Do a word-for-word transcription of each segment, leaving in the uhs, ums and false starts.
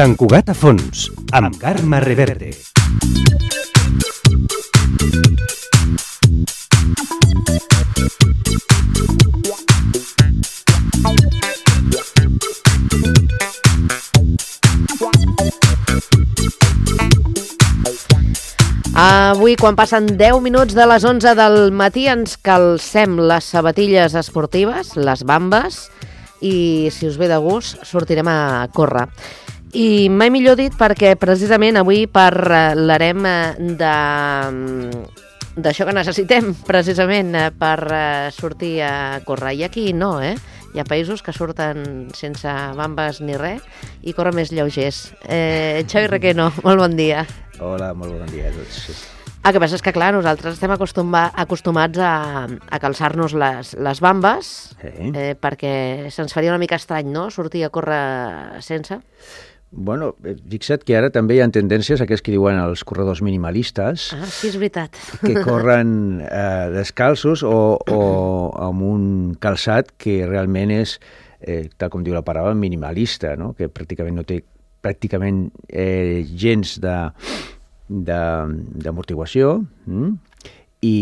Sant Cugat a fons, amb Carme Reverte. Avui, quan passen deu minuts de les onze del matí, ens calcem les sabatilles esportives, les bambes, i, si us ve de gust, sortirem a córrer. I mai millor dit perquè, precisament, avui parlarem de d'això que necessitem, precisament, per sortir a córrer. I aquí no, eh? Hi ha països que surten sense bambes ni res i corren més lleugers. Eh, Xavi Requeno, molt bon dia. Hola, molt bon dia a tots. Sí. El que passa és que, clar, nosaltres estem acostuma, acostumats a, a calçar-nos les, les bambes, sí. eh, perquè se'ns faria una mica estrany, no?, sortir a córrer sense. Bueno, fixa't que ara també hi ha tendències, aquests que diuen els corredors minimalistes, ah, sí, és veritat, que corren eh, descalços o, o amb un calçat que realment és, eh, tal com diu la paraula, minimalista, no?, que pràcticament no té pràcticament eh, gens de, de, d'amortiguació, mm? I,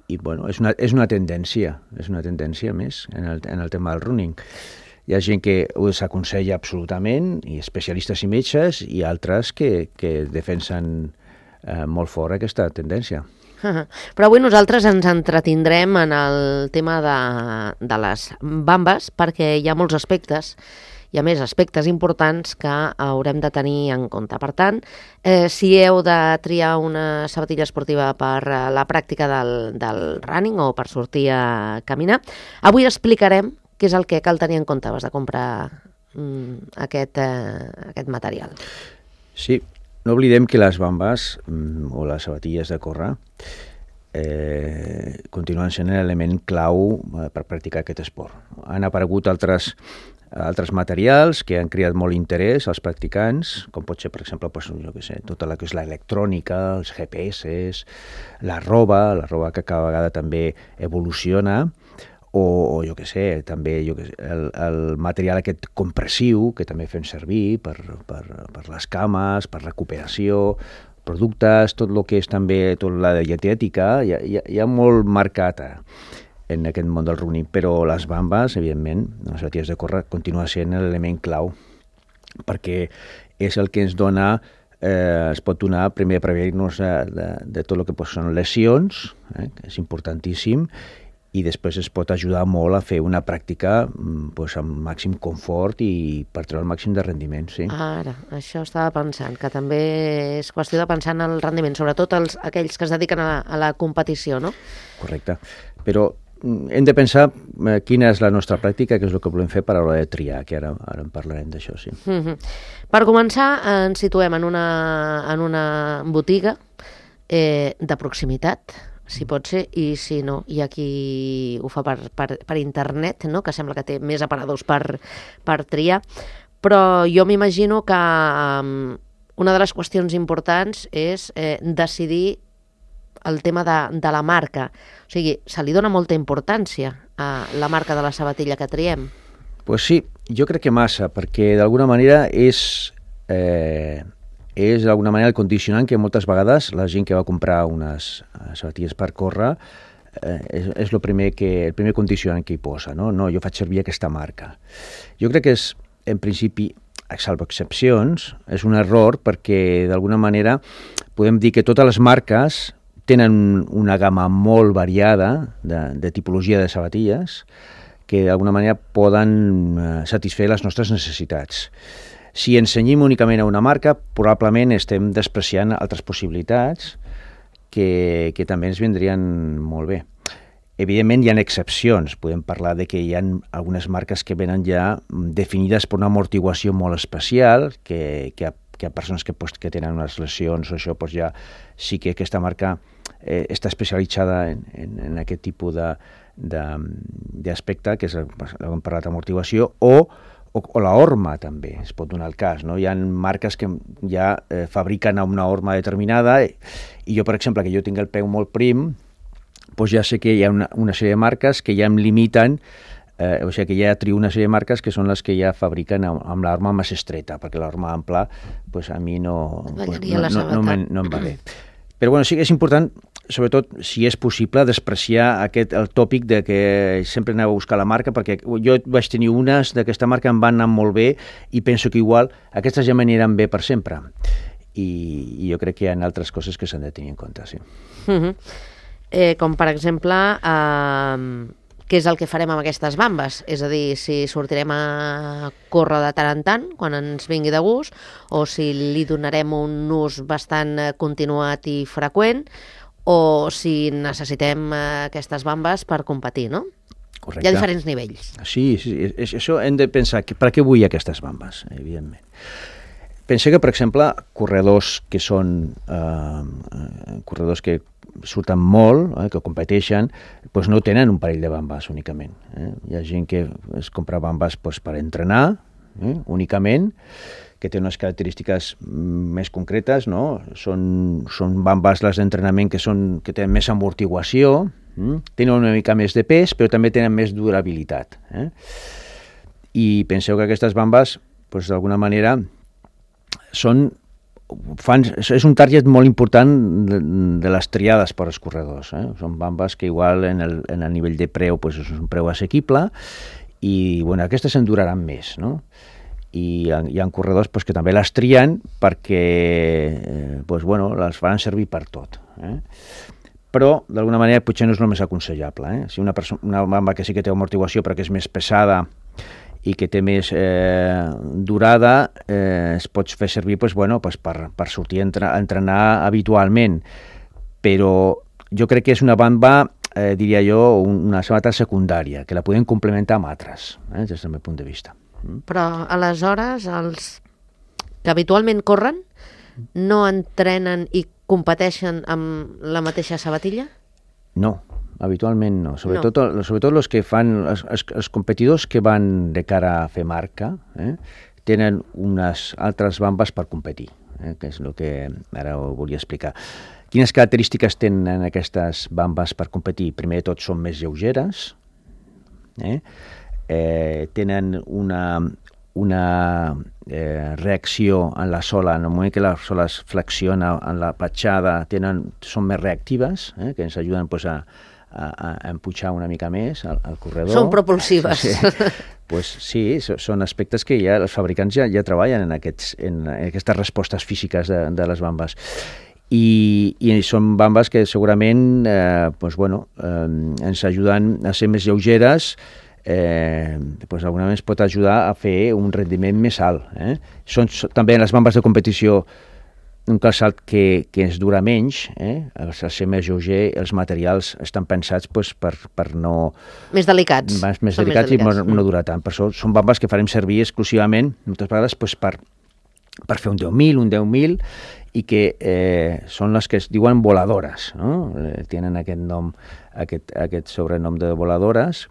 i bueno, és una, és una tendència, és una tendència més en el, en el tema del running. Hi ha gent que ho desaconsella absolutament, i especialistes i metges, i altres que, que defensen eh, molt fort aquesta tendència. Però avui nosaltres ens entretindrem en el tema de, de les bambes, perquè hi ha molts aspectes, hi ha més aspectes importants que haurem de tenir en compte. Per tant, eh, si heu de triar una sabatilla esportiva per la pràctica del, del running o per sortir a caminar, avui explicarem què és el que cal tenir en compte abans de comprar mm, aquest, eh, aquest material. Sí, no oblidem que les bambes mm, o les sabatilles de córrer eh, continuen sent l'element clau eh, per practicar aquest esport. Han aparegut altres altres materials que han creat molt interès als practicants, com pot ser, per exemple, pues, jo què sé, tota la que és l'electrònica, els G P S, la roba, la roba que cada vegada també evoluciona, o, o jo què sé, també jo què sé, el, el material aquest compressiu que també fem servir per, per, per les cames, per recuperació, productes, tot el que és també tota la dietètica, hi ha, hi ha, hi ha molt marcat en aquest món del running, però les bambes, evidentment, les sabatilles de córrer, continua sent l'element clau, perquè és el que ens dona, eh, es pot donar, primer, prevenir-nos de, de, de tot el que són lesions, eh, que és importantíssim, i després es pot ajudar molt a fer una pràctica pues, amb màxim confort i per treure el màxim de rendiment. Sí. Ara, això estava pensant, que també és qüestió de pensar en el rendiment, sobretot els, aquells que es dediquen a la, a la competició, no? Correcte, però hem de pensar eh, quina és la nostra pràctica, que és el que volem fer per a l'hora de triar, que ara, ara en parlarem d'això, sí. Mm-hmm. Per començar, ens situem en una, en una botiga eh, de proximitat, si pot ser, i si no, hi ha qui ho fa per, per, per internet, no?, que sembla que té més aparadors per, per triar, però jo m'imagino que um, una de les qüestions importants és eh, decidir el tema de, de la marca. O sigui, se li dona molta importància a la marca de la sabatilla que triem? Pues sí, jo crec que massa, perquè d'alguna manera és, eh, és d'alguna manera el condicionant que moltes vegades la gent que va comprar unes sabatilles per córrer eh, és, és el, primer que, el primer condicionant que hi posa, no? No, jo faig servir aquesta marca. Jo crec que és, en principi, salvo excepcions, és un error perquè d'alguna manera podem dir que totes les marques tenen una gamma molt variada de, de tipologia de sabatilles que d'alguna manera poden eh, satisfer les nostres necessitats. Si ens cenyim únicament a una marca, probablement estem despreciant altres possibilitats que, que també ens vindrien molt bé. Evidentment hi ha excepcions, podem parlar de que hi ha algunes marques que venen ja definides per una amortiguació molt especial, que, que, que hi ha persones que, pues, que tenen unes lesions o això, pues ja sí que aquesta marca eh, està especialitzada en, en, en aquest tipus de, de, d'aspecte, que és el que hem parlat d'amortiguació, o, o, o la horma també, es pot donar el cas, no? Hi ha marques que ja eh, fabriquen una horma determinada, i jo, per exemple, que jo tinc el peu molt prim, doncs ja sé que hi ha una, una sèrie de marques que ja em limiten Eh, o sigui que ja trio una sèrie de marques que són les que ja fabriquen amb, amb l'arma més estreta, perquè l'arma ampla pues, a mi no, pues, no, no, no, no, no em va bé. Però bueno, sí que és important, sobretot si és possible, despreciar aquest, el tòpic de que sempre aneu a buscar la marca, perquè jo vaig tenir unes d'aquesta marca, em van anar molt bé i penso que igual aquestes ja m'aniran bé per sempre. I, i jo crec que hi ha altres coses que s'han de tenir en compte, sí. Uh-huh. eh, com per exemple, eh, què és el que farem amb aquestes bambes? És a dir, si sortirem a córrer de tant en tant, quan ens vingui de gust, o si li donarem un ús bastant continuat i freqüent, o si necessitem aquestes bambes per competir, no? Correcte. Hi ha diferents nivells. Sí, sí, és, això hem de pensar, que, per què vull aquestes bambes, evidentment. Pensa que, per exemple, corredors que són eh, corredors que surten molt, eh, que competeixen, doncs no tenen un parell de bambes únicament. Eh? Hi ha gent que es compra bambes doncs, per entrenar, eh, únicament, que té unes característiques més concretes, no? Són, són bambes les d'entrenament que, són, que tenen més amortiguació, eh? Tenen una mica més de pes, però també tenen més durabilitat. Eh? I penseu que aquestes bambes, doncs, d'alguna manera, són fan, és un target molt important de, de les triades per als corredors. Eh? Són bambes que igual en el, en el nivell de preu pues, és un preu assequible i bueno, aquestes en duraran més, no? I hi ha, hi ha corredors pues, que també les trien perquè eh, pues, bueno, les faran servir per tot. Eh? Però d'alguna manera potser no és el més aconsellable. Eh? Si una, una bamba que sí que té amortiguació però que és més pesada i que té més eh, durada, eh, es pot fer servir pues, bueno, pues per, per sortir a entrenar, a entrenar habitualment. Però jo crec que és una bamba, eh, diria jo, una sabata secundària, que la podem complementar amb altres, eh, des del meu punt de vista. Mm. Però aleshores, els que habitualment corren, no entrenen i competeixen amb la mateixa sabatilla? No. Habitualment no, sobretot, no. sobretot els que fan, els, els competidors que van de cara a fer marca, eh, tenen unes altres bambes per competir, eh, que és el que ara ho volia explicar. Quines característiques tenen aquestes bambes per competir? Primer de tot són més lleugeres, eh, eh, tenen una, una eh, reacció en la sola, en el moment que la sola es flexiona en la petjada, tenen, són més reactives, eh, que ens ajuden pues, a A, a empujar una mica més al, al corredor. Són propulsives. Sí, pues sí, són aspectes que ja els fabricants ja, ja treballen en, aquests, en, en aquestes respostes físiques de, de les bambes. I, i són bambes que segurament eh, pues bueno, eh, ens ajuden a ser més lleugeres, eh, pues d'alguna manera ens pot ajudar a fer un rendiment més alt. Eh? Són també les bambes de competició un calçat que, que ens dura menys, eh? Al ser més lleuger, els materials estan pensats pues, per, per no... Més delicats. Més, més delicats, més delicats i no, no dura tant. Per això són bambes que farem servir exclusivament, moltes vegades, pues, per, per fer un deu mil, un deu mil, i que eh, són les que es diuen voladores, no? Eh, tenen aquest nom, aquest, aquest sobrenom de voladores,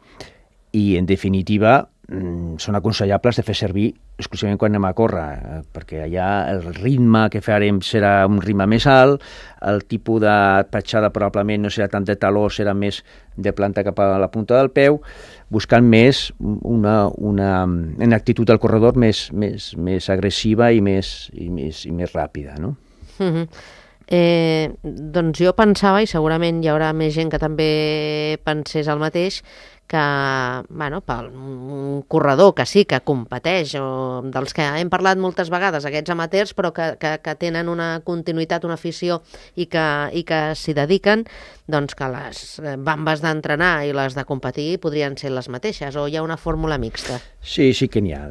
i en definitiva són aconsellables de fer servir exclusivament quan anem a córrer, eh, perquè allà el ritme que farem serà un ritme més alt, el tipus de petjada probablement no serà tant de taló, serà més de planta cap a la punta del peu, buscant més una, una, una actitud del corredor més, més, més agressiva i més, i més, i més ràpida, no? Mm-hmm. eh, doncs jo pensava, i segurament hi haurà més gent que també pensés el mateix, que, bueno, per un corredor que sí, que competeix, o dels que hem parlat moltes vegades, aquests amateurs, però que, que, que tenen una continuïtat, una afició i que, i que s'hi dediquen, doncs que les bambes d'entrenar i les de competir podrien ser les mateixes, o hi ha una fórmula mixta? Sí, sí que n'hi ha.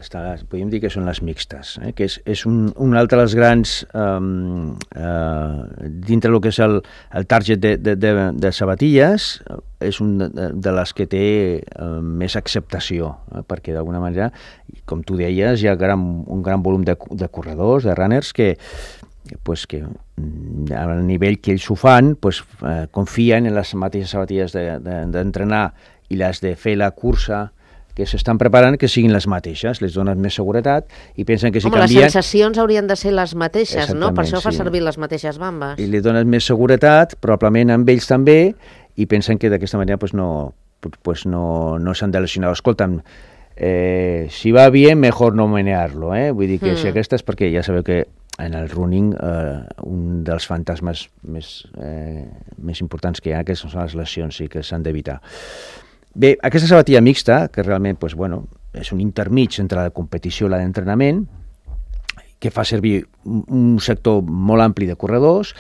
Podríem dir que són les mixtes, eh? Que és, és un, un altre dels grans, um, uh, dintre del que és el, el target de, de, de, de sabatilles, és un de, de les que té uh, més acceptació, eh? Perquè d'alguna manera, com tu deies, hi ha gran, un gran volum de, de corredors, de runners, que, pues, que al nivell que ells ho fan, pues, eh, confien en les mateixes sabatilles d'entrenar de, de, i les de fer la cursa que s'estan preparant, que siguin les mateixes, les donen més seguretat i pensen que si Home, canvien... les sensacions haurien de ser les mateixes, no? Per això fa sí. servir les mateixes bambes. I li donen més seguretat, probablement amb ells també, i pensen que d'aquesta manera pues, no, pues no, no s'han de lesionar. Escolta'm, eh, si va bien, mejor no menearlo, eh? Vull dir que mm. si aquesta és perquè ja sabeu que en el running eh, un dels fantasmes més, eh, més importants que hi ha, que són les lesions, i que s'han d'evitar. Bé, aquesta sabatilla mixta, que realment pues, bueno, és un intermig entre la competició i la d'entrenament, que fa servir un sector molt ampli de corredors.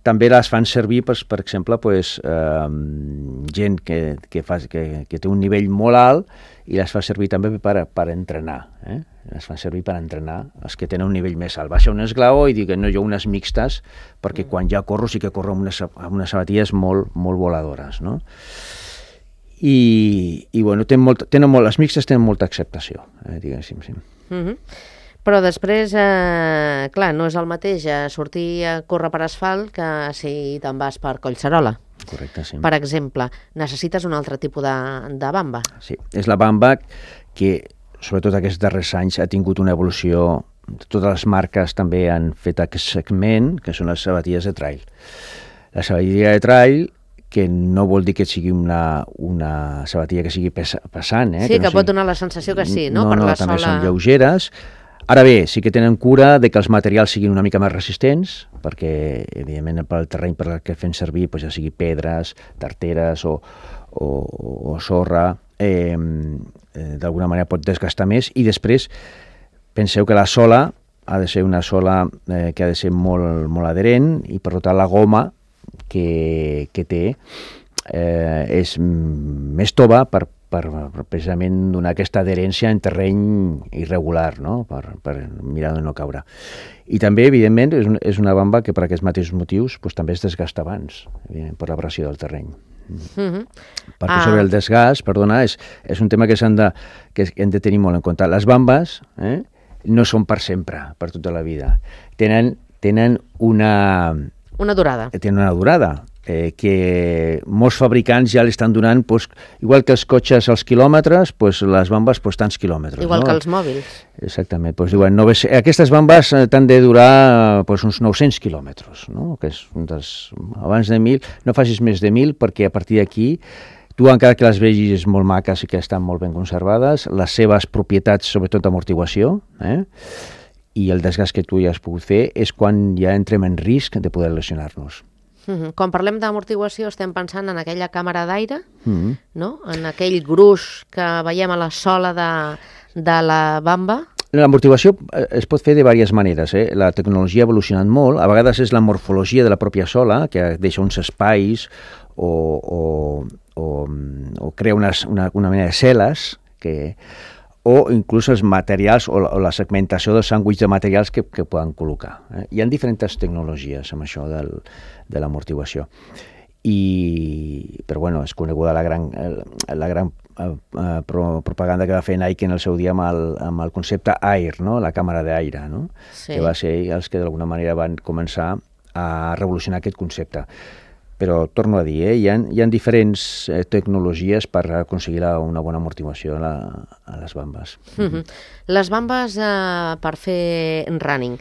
També les fan servir, per, per exemple, pues, eh, gent que, que, fa, que, que té un nivell molt alt, i les fa servir també per, per entrenar. Eh? Les fan servir per entrenar els que tenen un nivell més alt. Baixa un esglaó i dic, no, jo unes mixtes, perquè mm. quan ja corro sí que corro amb unes, amb unes sabatilles molt, molt voladores, no? I, i bueno, tenen molt, tenen molt, les mixtes tenen molta acceptació, eh, diguéssim, sí. Mm-hmm. Però després, eh, clar, no és el mateix eh, sortir a córrer per asfalt que si te'n vas per Collserola. Correcte, sí. Per exemple, necessites un altre tipus de, de bamba. Sí, és la bamba que, sobretot aquests darrers anys, ha tingut una evolució. Totes les marques també han fet aquest segment, que són les sabatilles de trail. La sabatilla de trail, que no vol dir que sigui una, una sabatilla que sigui pesa, pesant. Eh? Sí, que, que no pot sigui... donar la sensació que sí, no? No, per no, la també sola... són lleugeres. Ara bé, sí que tenen cura de que els materials siguin una mica més resistents, perquè, evidentment, pel terreny per el que fem servir, doncs ja sigui pedres, tarteres o, o, o sorra, eh, eh, d'alguna manera pot desgastar més. I després, penseu que la sola ha de ser una sola eh, que ha de ser molt, molt adherent, i per tant la goma que, que té eh, és més tova per Per, per precisament donar aquesta adherència en terreny irregular, no? per, per mirar de no caure. I també, evidentment, és, un, és una bamba que per aquests mateixos motius pues, també es desgasta abans, per la pressió del terreny. Mm-hmm. Perquè ah. sobre el desgast, perdona, és, és un tema que s'han de, que hem de tenir molt en compte. Les bambes eh, no són per sempre, per tota la vida. Tenen, tenen una... Una durada. Tenen una durada. Eh, que molts fabricants ja li estan donant, pues, igual que els cotxes als quilòmetres, pues, les bambes pues, tants quilòmetres. Igual no? que els mòbils. Exactament. Pues, diuen, no, aquestes bambes t'han de durar pues, uns nou-cents quilòmetres, no? Que és un dels, abans de mil, no facis més de mil, perquè a partir d'aquí tu, encara que les vegis molt maques i que estan molt ben conservades, les seves propietats, sobretot d'amortiguació, eh? i el desgast que tu ja has pogut fer, és quan ja entrem en risc de poder lesionar-nos. Mm-hmm. Quan parlem d'amortiguació estem pensant en aquella càmera d'aire, mm-hmm. no? En aquell gruix que veiem a la sola de, de la bamba. L'amortiguació es pot fer de diverses maneres. Eh? La tecnologia ha evolucionat molt. A vegades és la morfologia de la pròpia sola, que deixa uns espais o, o, o, o crea unes, una, una mena de cel·les que... o inclús els materials o la, o la segmentació dels sàndwich de materials que, que poden col·locar. Eh? Hi ha diferents tecnologies amb això del, de l'amortiguació. I, però bueno, és coneguda la gran, la gran eh, pro, propaganda que va fer Nike en el seu dia amb el, amb el concepte Air, no? La càmera d'aire, no? Sí. Que va ser els que d'alguna manera van començar a revolucionar aquest concepte. Però, torno a dir, eh, hi ha, hi ha diferents eh, tecnologies per aconseguir la, una bona amortiguació a, la, a les bambes. Mm-hmm. Les bambes eh, per fer running.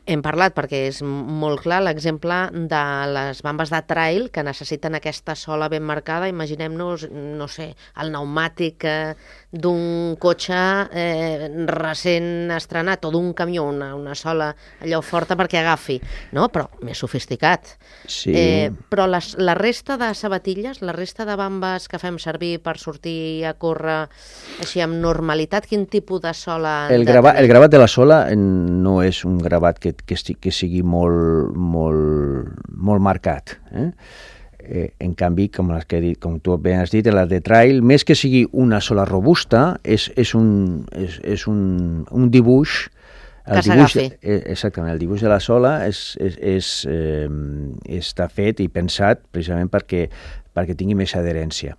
Hem parlat, perquè és molt clar, l'exemple de les bambes de trail que necessiten aquesta sola ben marcada. Imaginem-nos, no sé, el pneumàtic eh, d'un cotxe eh, recent estrenat o d'un camió, una, una sola allò forta perquè agafi, no? Però més sofisticat. Sí. Eh, però les, la resta de sabatilles, la resta de bambes que fem servir per sortir a córrer així amb normalitat, quin tipus de sola... El, grava, el gravat de la sola no és un gravat que Que, que sigui molt, molt, molt marcat. Eh? Eh, en canvi, com, les que he dit, com tu bé has dit, la de trail, més que sigui una sola robusta, és, és, un, és, és un, un dibuix... El que s'agafi. Eh, exactament, el dibuix de la sola és, és, és, eh, està fet i pensat precisament perquè, perquè tingui més adherència.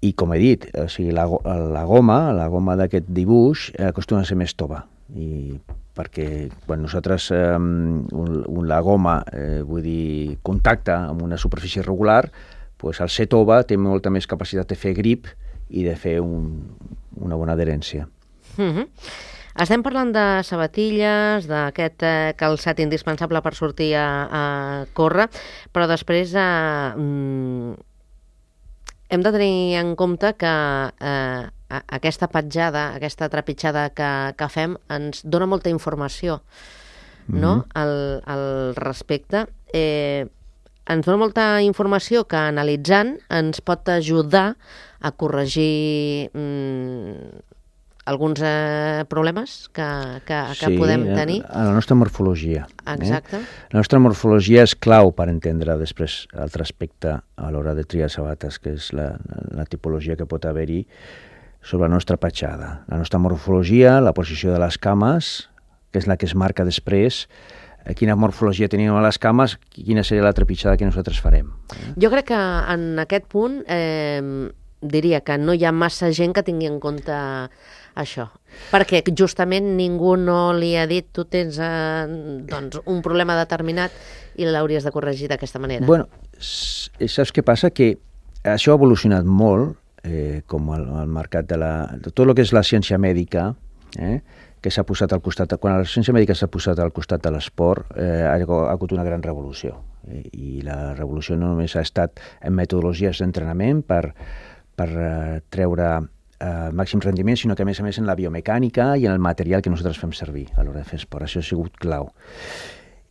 I com he dit, o sigui, la, la goma, la goma d'aquest dibuix eh, acostuma a ser més tova. I perquè quan nosaltres eh, un, la goma, eh, vull dir, contacta amb una superfície regular, pues el ser tova té molta més capacitat de fer grip i de fer un, una bona adherència. Mm-hmm. Estem parlant de sabatilles, d'aquest eh, calçat indispensable per sortir a, a córrer, però després eh, hem de tenir en compte que eh, aquesta petjada, aquesta trepitjada que, que fem ens dona molta informació, no? Mm-hmm. al, al respecte. Eh, ens dona molta informació que analitzant ens pot ajudar a corregir mm, alguns eh, problemes que, que, que sí, podem tenir. A la nostra morfologia. Exacte. Eh? La nostra morfologia és clau per entendre després l'altre aspecte a l'hora de triar sabates, que és la, la tipologia que pot haver-hi sobre la nostra petjada. La nostra morfologia, la posició de les cames, que és la que es marca després, quina morfologia tenim a les cames, quina seria la trepitjada que nosaltres farem. Jo crec que en aquest punt eh, diria que no hi ha massa gent que tingui en compte això, perquè justament ningú no li ha dit tu tens eh, doncs, un problema determinat i l'hauries de corregir d'aquesta manera. Bueno, saps què passa? Que això ha evolucionat molt, eh, com el, el mercat de, la, de tot el que és la ciència mèdica, eh, que s'ha posat al costat, quan la ciència mèdica s'ha posat al costat de l'esport, eh, ha hagut una gran revolució. I, i la revolució no només ha estat en metodologies d'entrenament per, per uh, treure uh, màxim rendiment, sinó que a més a més en la biomecànica i en el material que nosaltres fem servir a l'hora de fer esport. Això ha sigut clau.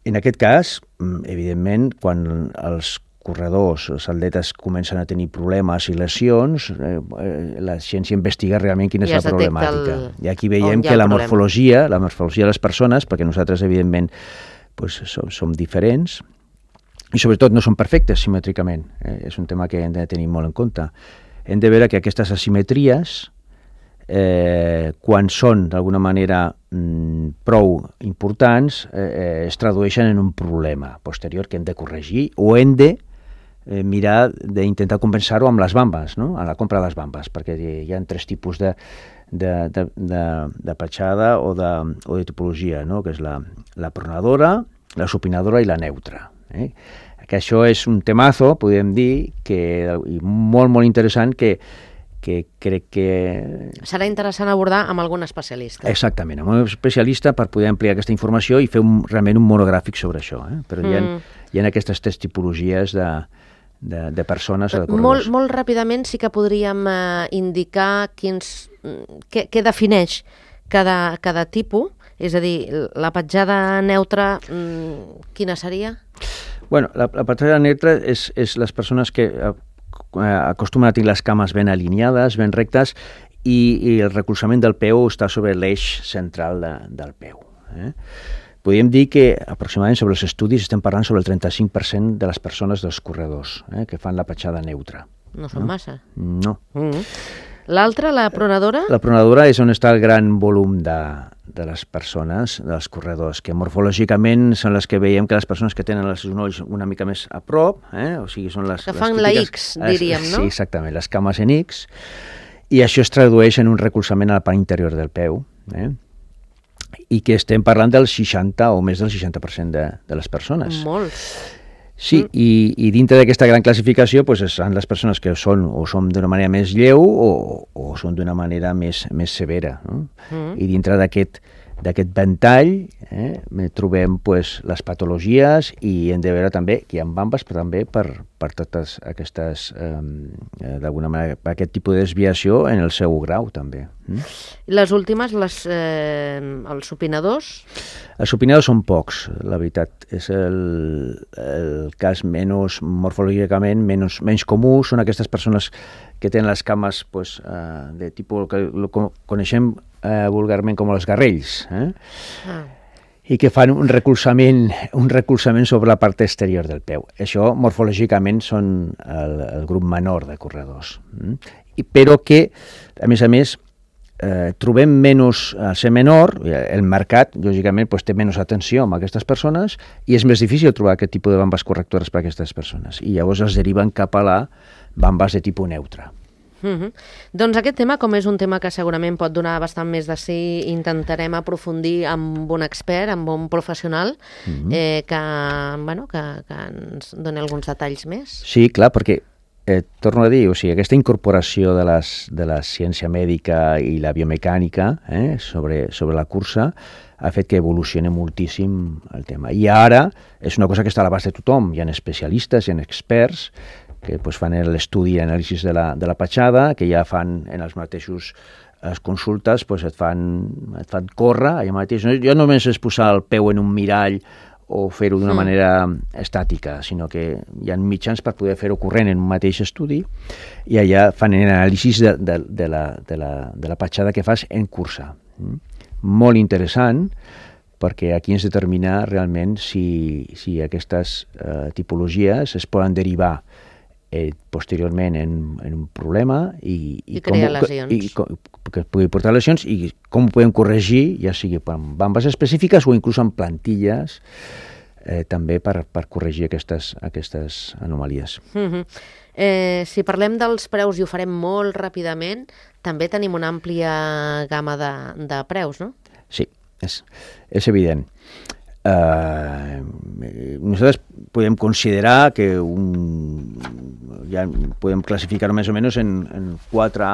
En aquest cas, evidentment, quan els corredors, els atletes comencen a tenir problemes i lesions, eh, la ciència investiga realment quina és la problemàtica. El... I aquí veiem que la morfologia, la morfologia de les persones, perquè nosaltres, evidentment, pues, som, som diferents, i sobretot no són perfectes simètricament. Eh, és un tema que hem de tenir molt en compte. Hem de veure que aquestes asimetries, eh, quan són d'alguna manera mm, prou importants, eh, es tradueixen en un problema posterior que hem de corregir o hem de Eh, mirar d'intentar compensar-ho amb les bambes, no? A la compra de les bambes, perquè hi ha tres tipus de, de, de, de, de petjada o de, o de tipologia, no? Que és la, la pronadora, la supinadora i la neutra. Eh? Que això és un temazo, podem dir, que, i molt, molt interessant, que, que crec que... Serà interessant abordar amb algun especialista. Exactament, amb un especialista per poder ampliar aquesta informació i fer un, realment un monogràfic sobre això. Eh? Però mm. hi, ha, hi ha aquestes tres tipologies de... De, de persones o de corredors. Molt, molt ràpidament sí que podríem eh, indicar quins, què, què defineix cada, cada tipus, és a dir, la petjada neutra, mmm, quina seria? Bueno, la, la petjada neutra és, és les persones que eh, acostumen a tenir les cames ben alineades, ben rectes, i, i el recolzament del peu està sobre l'eix central de, del peu. Eh? Podríem dir que aproximadament sobre els estudis estem parlant sobre el trenta-cinc per cent de les persones dels corredors eh, que fan la petjada neutra. No són no? massa. No. Mm-hmm. L'altra, la pronadora? La pronadora és on està el gran volum de, de les persones, dels corredors, que morfològicament són les que veiem que les persones que tenen els genolls una mica més a prop, eh, o sigui, són les... Que les fan típiques, la X, diríem, no? Sí, exactament, les cames en X, i això es tradueix en un recolzament a la part interior del peu, eh? I que estem parlant del seixanta o més del seixanta per cent de, de les persones. Molts. Sí, mm. i, i dintre d'aquesta gran classificació pues, són les persones que són o són d'una manera més lleu o, o són d'una manera més, més severa. No? Mm. I dintre d'aquest d'aquest ventall eh, trobem pues, les patologies i hem de veure també que hi ha bambes, però també per, per totes aquestes, eh, d'alguna manera, per aquest tipus de desviació en el seu grau també. Mm? Les últimes, les, eh, els supinadors? Els supinadors són pocs, la veritat. És el, el cas menys, morfològicament, menys, menys comú. Són aquestes persones que tenen les cames pues, eh, de tipus que coneixem eh, vulgarment com els garrells, eh? ah. i que fan un recolzament, un recolzament sobre la part exterior del peu. Això, morfològicament, són el, el grup menor de corredors. Mm? I, però que, a més a més, eh, trobem menys, al ser menor, el mercat, lògicament, pues, té menys atenció amb aquestes persones i és més difícil trobar aquest tipus de bambes correctores per a aquestes persones. I llavors es deriven cap a la bambes de tipus neutre. Mm-hmm. Doncs aquest tema, com és un tema que segurament pot donar bastant més de sí, intentarem aprofundir amb un expert, amb un professional, mm-hmm. eh, que, bueno, que, que ens doni alguns detalls més. Sí, clar, perquè eh, torno a dir, o sigui, aquesta incorporació de, les, de la ciència mèdica i la biomecànica eh, sobre, sobre la cursa ha fet que evolucioni moltíssim el tema. I ara és una cosa que està a l'abast de tothom. Hi ha especialistes, hi ha experts que pues, fan l'estudi i anàlisis de la, de la petjada, que ja fan en els mateixos les consultes, pues, et, fan, et fan córrer allà mateix. No, jo només és posar el peu en un mirall o fer-ho d'una mm. manera estàtica, sinó que hi ha mitjans per poder fer-ho corrent en un mateix estudi i allà fan anàlisis de, de, de, la, de, la, de la petjada que fas en cursa. Mm? Molt interessant, perquè aquí ens determina realment si, si aquestes eh, tipologies es poden derivar eh, posteriorment en, en un problema i, i, I crear com, lesions. I, com, que pugui portar lesions i com ho podem corregir, ja sigui amb bambes específiques o inclús amb plantilles eh, també per, per corregir aquestes, aquestes anomalies. Mm-hmm. Eh, si parlem dels preus, i ho farem molt ràpidament, també tenim una àmplia gamma de, de preus, no? Sí, és, és evident. Uh, nosaltres podem considerar que un, ja podem classificar més o menys en, en, quatre,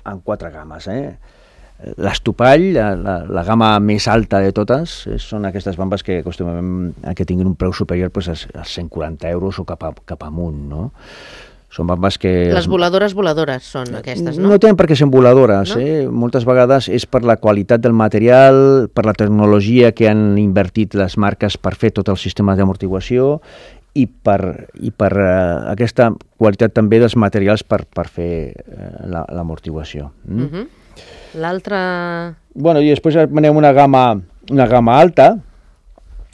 en quatre games. Eh? L'estopall, la, la, la gamma més alta de totes, són aquestes bambes que acostumem a que tinguin un preu superior pues, als, als cent quaranta euros o cap, a, cap amunt, no? Són bambes que... Les voladores voladores són aquestes, no? No tenen per què ser voladores, no? eh? Moltes vegades és per la qualitat del material, per la tecnologia que han invertit les marques per fer tot el sistema d'amortiguació i per, i per uh, aquesta qualitat també dels materials per, per fer uh, l'amortiguació. Mm? Uh-huh. L'altra... Bueno, i després anem una gamma, una gamma alta,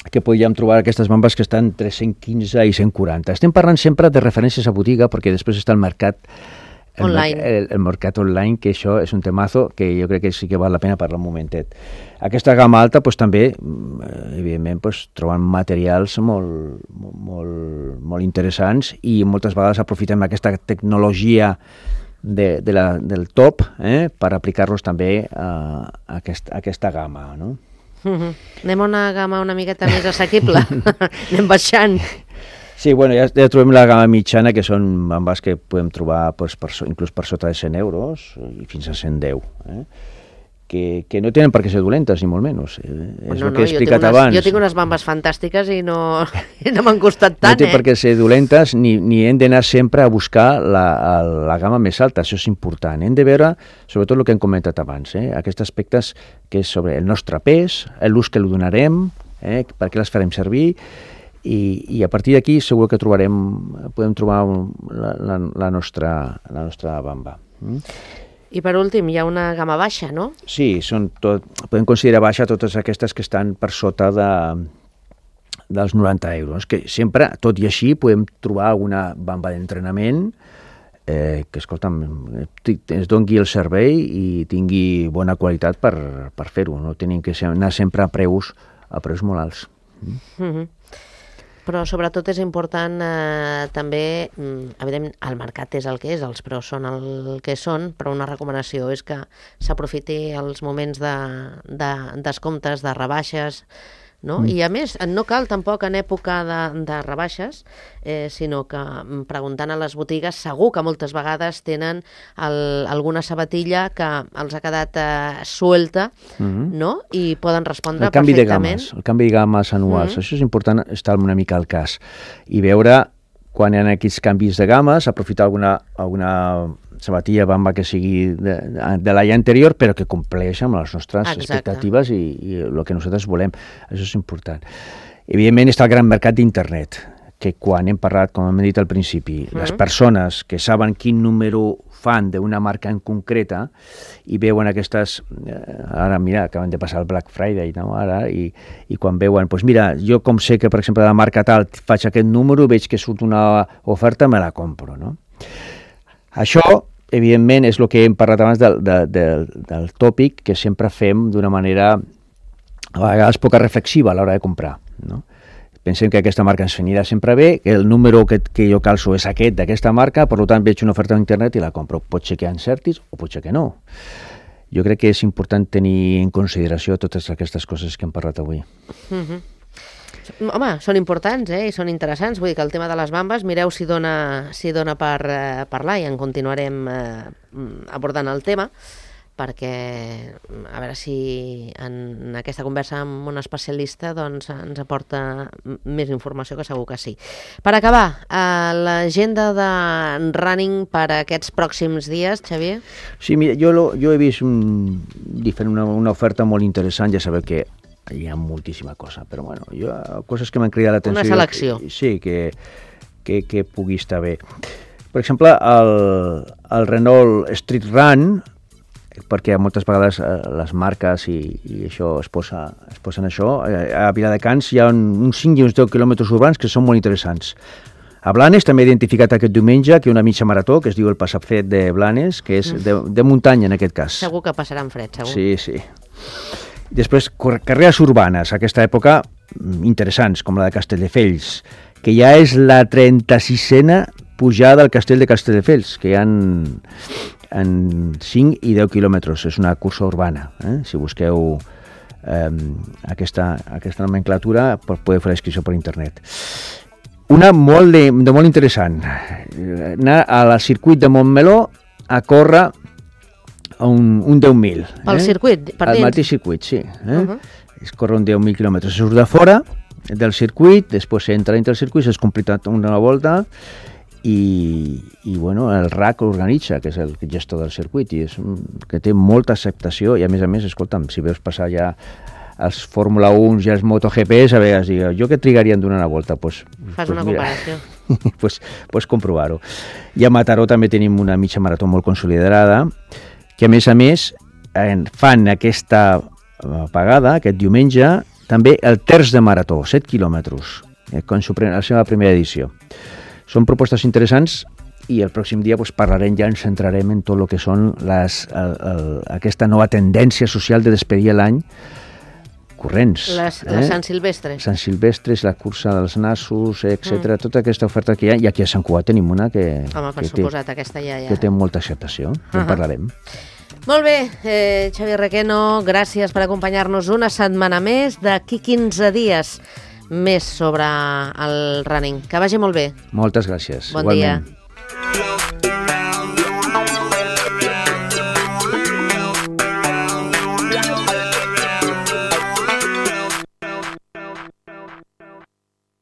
que podríem trobar aquestes bambes que estan entre cent quinze i cent quaranta. Estem parlant sempre de referències a botiga, perquè després està el mercat el online. El, el mercat online, que això és un temazo que jo crec que sí que val la pena parlar un momentet. Aquesta gamma alta pues, també, evidentment, pues, troben materials molt, molt, molt interessants i moltes vegades aprofitem aquesta tecnologia de, de la, del top eh, per aplicar-los també a, a, aquest, a aquesta gamma, no? Uh-huh. Anem a una gamma una miqueta més assequible. Anem baixant. Sí, bueno, ja, ja trobem la gamma mitjana, que són bambes que podem trobar pues, per, inclús per sota de cent euros i fins a cent deu. Eh? Que, que no tenen per què ser dolentes, ni molt menys. Eh? És no, el que he no, explicat unes, abans. Jo tinc unes bambes fantàstiques i no, i no m'han costat tant, no té eh? per què ser dolentes, ni, ni hem d'anar sempre a buscar la, la gamma més alta, això és important. Hem de veure, sobretot el que hem comentat abans, eh? Aquests aspectes que és sobre el nostre pes, l'ús que li donarem, eh? Per què les farem servir, i, i a partir d'aquí segur que trobarem, podem trobar la, la, la, nostra, la nostra bamba. Mm? I per últim, hi ha una gamma baixa, no? Sí, són tot, podem considerar baixa totes aquestes que estan per sota de, dels noranta euros, que sempre, tot i així, podem trobar alguna bamba d'entrenament eh, que, escolta'm, es doni el servei i tingui bona qualitat per, per fer-ho. No tenim que ser, anar sempre a preus, a preus molt alts. Mm. Mm-hmm. Però sobretot és important eh, també, evidentment, el mercat és el que és, els preus són el que són, però una recomanació és que s'aprofiti els moments de, de descomptes, de rebaixes, no? Mm. I a més, no cal tampoc en època de, de rebaixes, eh, sinó que preguntant a les botigues segur que moltes vegades tenen el, alguna sabatilla que els ha quedat eh, suelta, mm-hmm. no? I poden respondre el canvi perfectament. De games, el canvi de games anuals, mm-hmm. això és important estar una mica al cas i veure quan hi ha aquests canvis de games, aprofitar alguna, alguna sabatilla bamba que sigui de, de l'any anterior, però que compleix amb les nostres Exacte. expectatives i, i el que nosaltres volem. Això és important. Evidentment està el gran mercat d'internet, que quan hem parlat, com hem dit al principi, mm-hmm. les persones que saben quin número fan d'una marca en concreta i veuen aquestes... Eh, ara, mira, acaben de passar el Black Friday, no? Ara, i, i quan veuen, doncs mira, jo com sé que, per exemple, de la marca tal faig aquest número, veig que surt una oferta, me la compro, no? Això, evidentment, és el que hem parlat abans del, del, del, del tòpic que sempre fem d'una manera a vegades poca reflexiva a l'hora de comprar, no? Pensem que aquesta marca ens anirà sempre bé, que el número que, que jo calço és aquest d'aquesta marca, per tant veig una oferta a internet i la compro. Pot ser que encertis o pot ser que no. Jo crec que és important tenir en consideració totes aquestes coses que hem parlat avui. Mm-hmm. Home, són importants, eh? I són interessants. Vull dir que el tema de les bambes, mireu si dona, si dona per eh, parlar i en continuarem eh, abordant el tema. perquè a veure si en aquesta conversa amb un especialista doncs, ens aporta més informació, que segur que sí. Per acabar, eh, l'agenda de running per a aquests pròxims dies, Xavier? Sí, mira, jo, lo, jo he vist un, una, una oferta molt interessant, ja sabeu que hi ha moltíssima cosa, però bueno, jo, coses que m'han cridat l'atenció. Una selecció. Que, sí, que, que, que pugui estar bé. Per exemple, el, el Renault Street Run, perquè moltes vegades eh, les marques i, i això es, posa, es posen això. A Viladecans hi ha un, uns cinc i uns deu quilòmetres urbans que són molt interessants. A Blanes també he identificat aquest diumenge que una mitja marató, que es diu el Passafred de Blanes, que és de, de muntanya en aquest cas. Segur que passaran fred, segur. Sí, sí. Després, carreres urbanes, a aquesta època, interessants, com la de Castelldefels, que ja és la trenta-sisena pujada al castell de Castelldefels, que hi ha en cinc i deu quilòmetres. És una cursa urbana. Eh? Si busqueu eh, aquesta, aquesta nomenclatura, podeu fer la inscripció per internet. Una molt, de, de molt interessant. Anar al circuit de Montmeló a córrer un, un deu mil. Pel eh? circuit? Per Al dins? mateix circuit, sí. Eh? Uh-huh. Es corre un deu mil quilòmetres. Es surt de fora del circuit, després s'entra dintre del circuit, s'ha completat una volta, i, i bueno, el R A C organitza, que és el gestor del circuit, i és un, que té molta acceptació, i a més a més, escolta'm, si veus passar ja els Fórmula un i els MotoGP, a vegades digue, jo que trigaria en donar una volta? Pues, Fas pues una mira, comparació. pues, pues comprovar-ho. I a Mataró també tenim una mitja marató molt consolidada, que a més a més fan aquesta pagada, aquest diumenge, també el terç de marató, set quilòmetres, quan la seva primera edició. Són propostes interessants i el pròxim dia pues, parlarem, ja ens centrarem en tot el que són les, el, el, aquesta nova tendència social de despedir l'any corrents. Les, eh? les Sant Silvestres. Sant Silvestres, la cursa dels nassos, etcètera. Mm. Tota aquesta oferta que hi ha, i aquí a Sant Cugat tenim una que, Home, per que, suposat, té, aquesta ja, ja. que té molta acceptació, uh-huh. En parlarem. Molt bé, eh, Xavier Requeno, gràcies per acompanyar-nos una setmana més, d'aquí quinze dies més sobre el running. Que vagi molt bé. Moltes gràcies. Bon Igualment. dia.